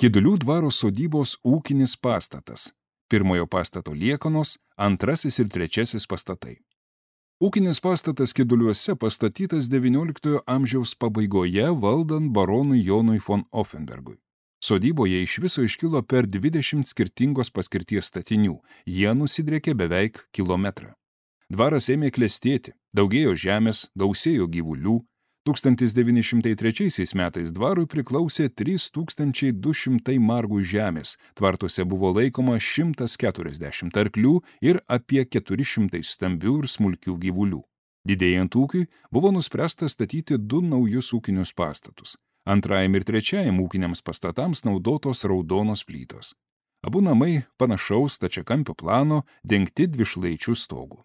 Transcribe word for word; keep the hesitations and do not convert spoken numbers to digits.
Kidulių dvaro sodybos ūkinis pastatas. Pirmojo pastato liekanos, antrasis ir trečiasis pastatai. Ūkinis pastatas Kiduliuose pastatytas devynioliktojo amžiaus pabaigoje valdant baronui Jonui von Offenbergui. Sodyboje iš viso iškilo per dvidešimt skirtingos paskirties statinių, jie nusidriekė beveik kilometrą. Dvaras ėmė klestėti, daugėjo žemės, gausėjo gyvulių. tūkstantis devyni šimtai trečiaisiais metais dvarui priklausė trys tūkstančiai du šimtai margų žemės, tvartuose buvo laikoma šimtas keturiasdešimt arklių ir apie keturi šimtai stambių ir smulkių gyvulių. Didėjant ūkiui buvo nuspręsta statyti du naujus ūkinius pastatus. Antrajam ir trečiajam ūkiniams pastatams naudotos raudonos plytos. Abu namai panašaus stačiakampio plano dengti dvišlaičių stogų.